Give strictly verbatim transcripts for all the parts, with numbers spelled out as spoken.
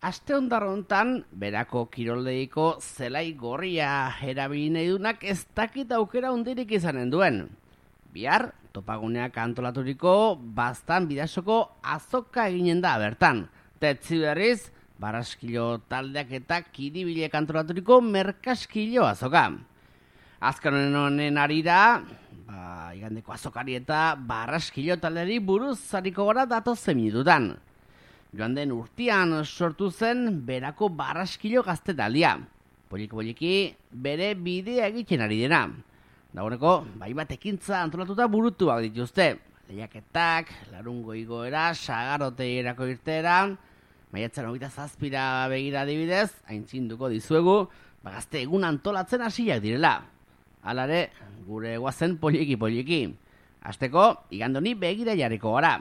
Aste hondarrontan, berako kiroldeiko zelai gorria erabili nahi dunak ez dakit aukera hundirik izanen duen. Bihar, topaguneak antolaturiko baztan bidasoko azoka eginen da bertan. Tetzi berriz, Baraskilo taldeak eta Kiribilek antolaturiko merkaskilo azoka. Azken honen arira, ba, igandeko azokari eta Baraskilo taldeari buruz zariko gara datozen minututan. Joan den urtean sortu zen berako Baraskilo gaztetaldia. Poliki-poliki bere bidea egiten ari dena. Dagoeneko, bai bat ekintza antolatuta burutuak dituzte. Lehiaketak, larungo igoera, sagaroteirako irteera, maiatzaren hogeita zazpira begira adibidez, aintzinduko dizuegu, ba gazte egun antolatzen hasiak direla. Halare, gure guazen poliki-poliki. Hasteko, igandoni begira jarriko gara.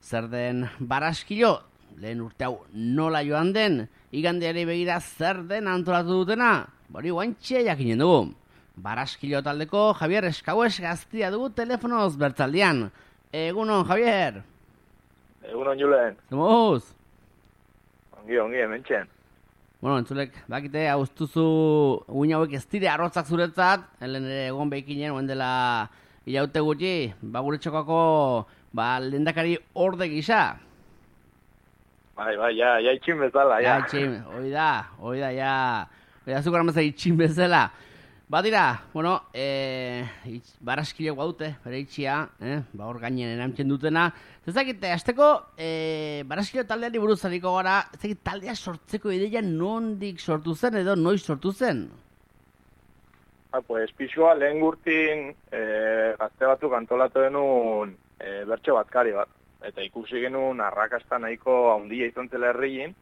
Zer den Baraskilo, lehen urte hau nola joan den, igandeari begira zer den antolatu dutena, bori guantxe jakinen dugu. Baraskilo taldeko Javier Eskauez gaztia dugu telefonoz bertzaldian. Egunon, Javier. Egunon, Julen. Zemuz? Ongi, ongi, hementxen. Bueno, entzulek, bakite, hauztuzu uin hauek ez dire arrotzak zuretzat, helen ere egon behikinen, oen dela ilaute gutxi, ba gure txokako ba, lehendakari orde gisa. Bai, bai, ja, ja itxin bezala, ja. Ja, itxin, hoi da, hoi da, ja, hoi da zukar amazai itxin bezala. Ba dira, bueno, e, itx, Baraskilek baute, bere itxia, eh, ba hor gainen erantzen dutena. Zezakite, azteko, e, Baraskilo taldeari buruz zariko gara, ezakit taldea sortzeko ideia nondik sortu zen edo noiz sortu zen? Ah, pues, pixua lehen gurtin e, gazte batzuk antolatu denun e, bertso batkari bat. Eta ikusi genuen arrakasta nahiko handia izan zela herriin.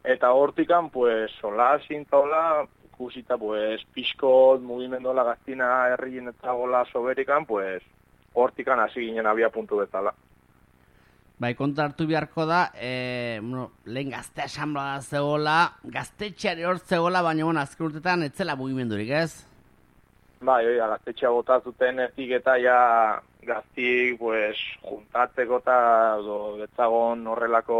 Eta hortikan, pues, sola sintaola, ikusita, pues, pixko mugimendola gaztina herriin eta gola soberikan, pues, hortikan hasi ginen abia puntu bezala. Bai, konta hartu beharko da, e, bueno, lehen gazte asamblea zegoela, gaztetxeari hor zegoela, baina bueno, azken urtetan etzela mugimendurik, ez? Bai, oia, gaztetxea bota zuten ezik eta ja gaztik, pues, juntatzeko eta betzagon horrelako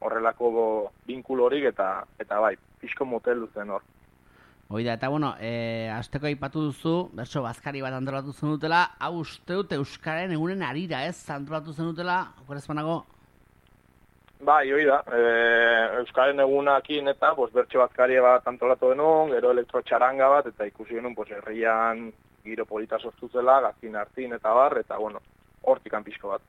horrelako binkulorik eta eta bai, pixko motel duzen hor. Oida, eta bueno, e, azteko aipatu duzu, berso bazkari bat antolatu zenutela, hau uste dut Euskaren egunen arira, ez? Antolatu zenutela, okorez banago? Bai, oida, e, Euskaren egunakin eta pues, bertso bazkari bat antolatu denun, gero elektrotxaranga bat, eta ikusi genuen pues, herrian giro polita sortu zela, gaztin hartin eta bar, eta bueno, hortikan pixko bat.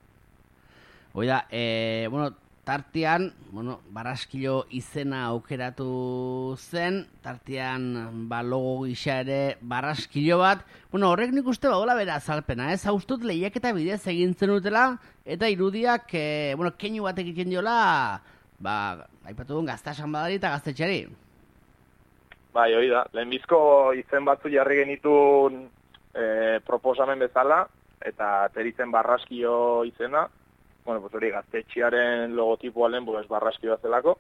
Oida, e, bueno, tartean, bueno, Baraskilo izena aukeratu zen, tartean ba, logo gisa ere Baraskilo bat. Bueno, horrek nik uste badola bera azalpena, ez? Hauztut lehiaketa bidez egin zenutela, eta irudiak, e, bueno, keinu bat egiten diola, ba, aipatu duen gaztasan badari eta gaztetxeari. Bai, hori da, lehenbizko izen batzu jarri genitun e, proposamen bezala, eta teritzen Baraskilo izena, bueno, pues hori gaztetxiaren logotipoa lehen, pues Baraskilo zelako,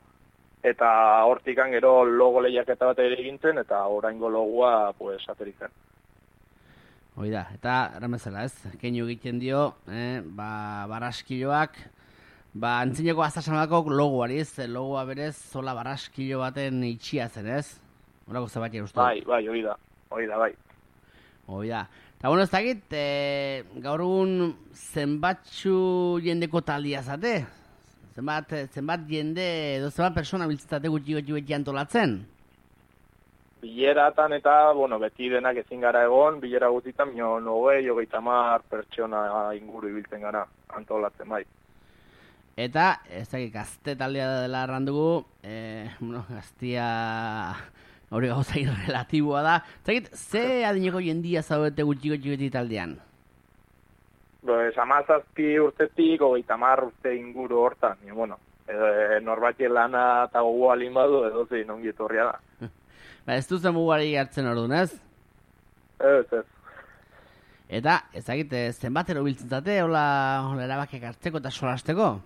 eta hortikan gero logo lehiaketa bat ere egintzen, eta oraingo logoa, pues, ateritzen. Hoi da, eta erramezela ez, keinu egiten dio, eh, ba, Baraskiloak, ba, antzineko aztasanako logoari ez, logoa berez, zola Baraskilo baten itxia zen ez? Horako zebatia ustu. Bai, bai, hori da, hori da, bai. Hoi da. Eta bueno, ez dakit, e, gaur egun zenbatxu jendeko taldia zate? Zenbat, zenbat jende, edo zenbat persona biltzetate gutxi gutxi beti antolatzen? Bileratan eta, bueno, beti denak ezin gara egon, bilera guztietan, mino nogei, hogeita hamar pertsona inguru ibiltzen gara antolatzen, bai. Eta, ez dakit, gazte taldea dela errandugu, e, bueno, gaztia hori gauzain relatiboa da. Zagit, ze adineko jendia zaudete gutxi gutxi beti taldean? Pues, amazazpi urtetik, hogeita hamar urte inguru hortan. E, bueno, e, norbatien lana eta gogoa badu edo zein ongi etorria da. Ba, ez duzen mugari hartzen orduan, ez? Ez, ez. Eta, ezagit, zenbatero biltzen zate, hola, hola erabakiak hartzeko eta solasteko?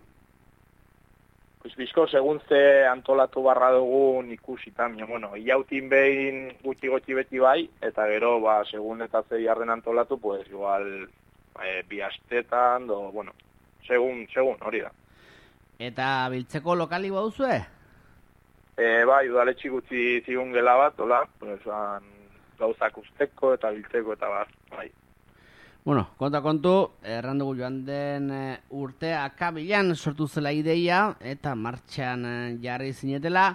Pues bizko, segun ze antolatu barra dugun ikusita, bueno, iautin behin gutxi gotxi beti bai, eta gero, ba, segun eta ze jarren antolatu, pues, igual, e, bi astetan, do, bueno, segun, segun, hori da. Eta biltzeko lokali baduzue? E, bai, udaletxi gutxi zigun gela bat, hola, pues, an, gauzak usteko eta biltzeko eta bat, bai. Bueno, konta kontu, erran dugu joan den e, urte akabilan sortu zela ideia eta martxan e, jarri zinetela.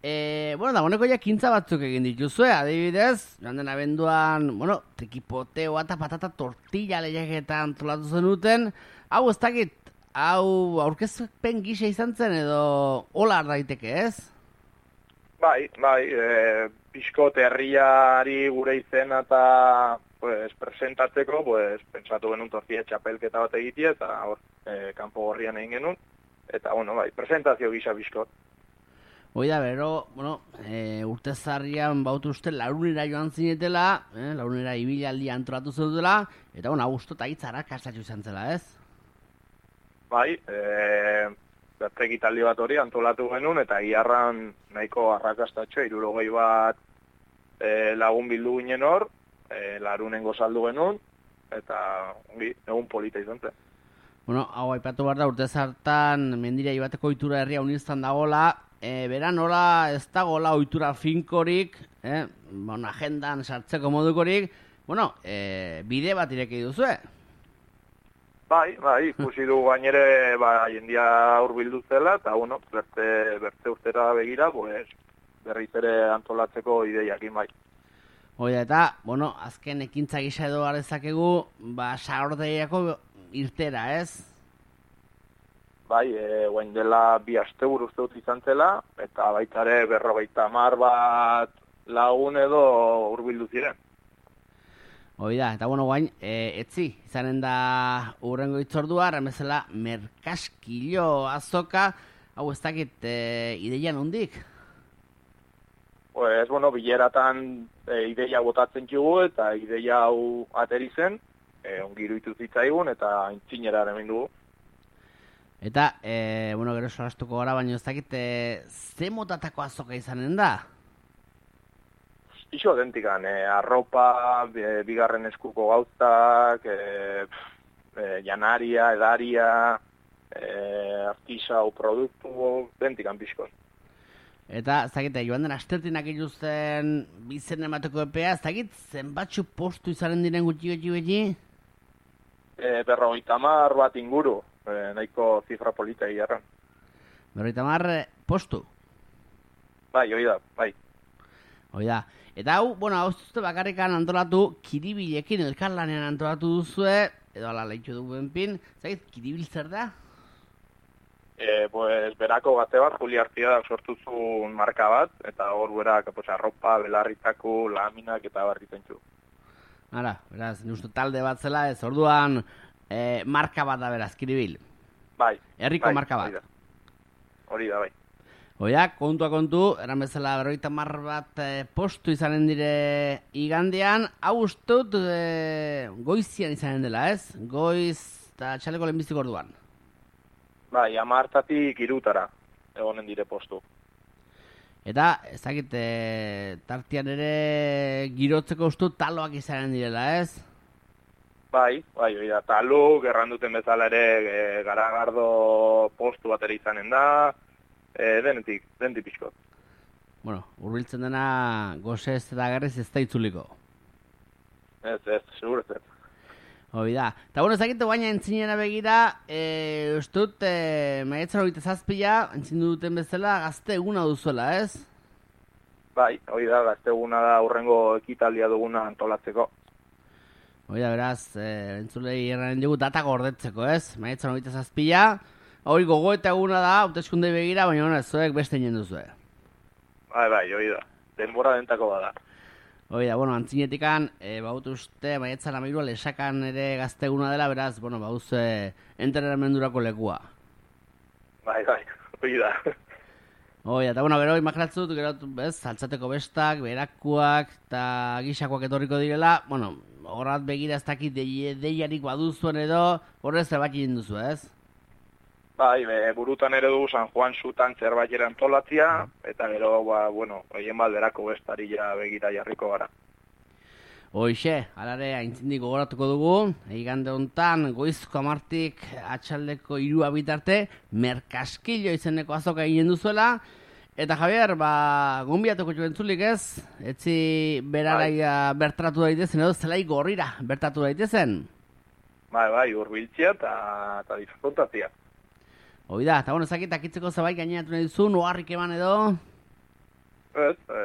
E, bueno, da, honeko ja kintza batzuk egin dituzue, adibidez, joan den abenduan, bueno, tekipoteo eta patata tortilla lehiaketa antolatu zenuten. Hau, ez dakit, hau aurkezpen gisa izan zen edo hola daiteke, ez? Bai, bai, e, pixkot herriari gure izena eta pues, presentatzeko, pues, pentsatu genuen tortilla txapelketa bat egitea, eta hor, e, kanpo gorrian egin genuen, eta, bueno, bai, presentazio gisa pixkot. Hoi da, bero, bueno, e, urte zarrian bautu uste laurunera joan zinetela, eh, laurunera ibilaldi antolatu zenutela, eta, bueno, augusto eta hitzara kastatxu izan zela, ez? Bai, e, bertegitaldi bat hori antolatu genuen, eta giarran nahiko arrakastatxo, hirurogei bat e, lagun bildu ginen hor, e, larunen gozaldu genuen, eta ongi, egun polita izan zen. Bueno, hau aipatu behar da, urte zartan mendira ibateko ohitura herria uniztan dagoela, e, beran nola ez dagoela ohitura finkorik, eh, bueno, agendan sartzeko modukorik, bueno, e, bide bat ireki duzue. Bai, bai, ikusi du gainere ba, jendia hurbildu zela, eta bueno, berte, berte urtera begira, pues, berriz ere antolatzeko ideiakin bai. Hoi da, eta, bueno, azken ekintza gisa edo garezakegu, ba, saordeiako irtera, ez? Bai, e, guain dela bi asteburu uste dut izan zela, eta baita ere berrogeita hamar bat lagun edo hurbildu ziren. Hoi da, eta bueno, guain, e, etzi, izanen da urrengo itzordua, remezela merkaskilo azoka, hau ez dakit, e, ideia nondik? Pues, bueno, bileratan e, ideia botatzen txugu, eta ideia hau ateri zen, e, ongi iruditu zitzaigun, eta aintzinera hemen dugu. Eta, e, bueno, gero solastuko gara, baina ez dakit, e, ze motatako azoka izanen da? Ixo dentikan, e, arropa, e, bigarren eskuko gauztak, e, e, janaria, edaria, e, artisau produktu, dentikan pixkon. Eta, ez dakit, joan den astertinak iluzten bizen emateko epea, ez dakit, zenbatxu postu izanen diren gutxi gutxi beti? E, berrogeita hamar bat inguru, e, nahiko zifra polita egiarran. Berrogeita hamar postu? Bai, hoi da, bai. Hoi da. Eta hau, bueno, hau zuzte bakarrikan antolatu kiribilekin elkarlanean antolatu duzue, edo ala lehitu duen pin, zait, kiribil zer da? E, pues, berako gazte bat, Juli Artiadak sortu zuen marka bat, eta hor berak, pues, arropa, belarritako, laminak eta barritzen txu. Hala, beraz, uste talde bat zela, ez orduan e, marka bat da beraz, kiribil. Bai. Herriko bai, marka bat. Hori da, hori da bai. Oia, kontua kontu, eran bezala berrogeita hamar bat e, postu izanen dire igandean, hau ustut e, goizian izanen dela, ez? Goiz eta txaleko lehenbiziko orduan. Bai, hamartatik hirutara egonen dire postu. Eta, ezakit, e, tartian ere girotzeko ustut taloak izanen direla, ez? Bai, bai, bai, da, taluk, erranduten bezala ere e, garagardo postu bat ere izanen da, E, denetik, denetik pixkot. Bueno, urbiltzen dena goze ez eta garriz ez da itzuliko. Ez, ez, segur ez. Hoi da. Eta bueno, ezakite baina entzinera begira, e, ustut, e, maiatzaren hogeita zazpila, entzindu duten bezala, gazte eguna duzuela, ez? Bai, hoi da, gazte eguna da urrengo ekitaldia duguna antolatzeko. Hoi da, beraz, e, entzulei erranen dugu data gordetzeko, ez? Maiatzaren hogeita zazpila, hori gogo eta eguna da, hauteskunde begira, baina hona, zuek beste inen duzue. Bai, bai, hoi da. Denbora dentako bada. Hoi da, bueno, antzinetikan, e, baut uste, maietzan amairua lesakan ere gazte eguna dela, beraz, bueno, bauz, e, entrenamendurako lekua. Bai, bai, hoi da. Hoi da, eta bueno, gero, imaginatzut, gero, bez, saltzateko bestak, berakuak, eta gixakoak etorriko direla, bueno, horrat begira ez dakit deiarik baduzuen edo, horrez zerbait egin duzu, ez? Bai, be, burutan ere du San Juan zutan zerbait ere antolatzia, eta gero, ba, bueno, egin balderako bestari ja begira jarriko gara. Hoixe, alare, aintzindi gogoratuko dugu, igande hontan goizko amartik atxaldeko hirua bitarte, merkaskilo izeneko azoka egin duzuela, Eta Javier, ba, gumbiatuko jo entzulik ez, etzi beraraia bertratu daitezen, edo zelai gorrira bertatu daitezen. Bai, bai, urbiltzia eta eta disfrutatzia. Hoi da, eta bueno, ezakit akitzeko zabait gainatu nahi duzu, noarrik eman edo? Ez, e,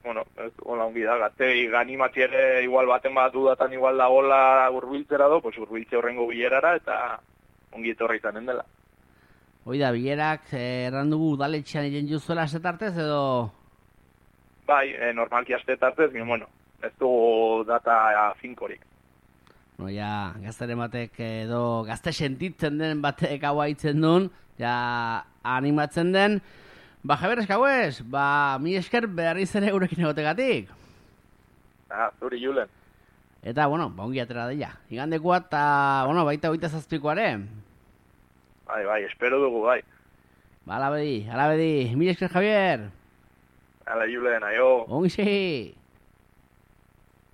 bueno, ez, hola ongi da, gatei ganimati ere igual baten bat dudatan igual da gola urbiltzera do, pues urbiltze horrengo bilerara eta ongi etorri izanen dela. Hoi da, bilerak eh, errandugu udaletxean egin juzuela astetartez edo? Bai, e, normalki astetartez, bueno, ez dugu data finkorik. No, ja, gaztaren batek edo gazte sentitzen den batek hau haitzen duen, ja, animatzen den. Ba, Javier Eskauez, ba, mi esker berriz ere gurekin egotegatik. Ah, zuri Julen. Eta, bueno, ba, ongi atera daia. Igandekoa eta, bueno, baita hogeita zazpikoare. Bai, bai, espero dugu, bai. Ba, alabedi, alabedi. Mi esker, Javier. Hala, Julen, aio. Ongi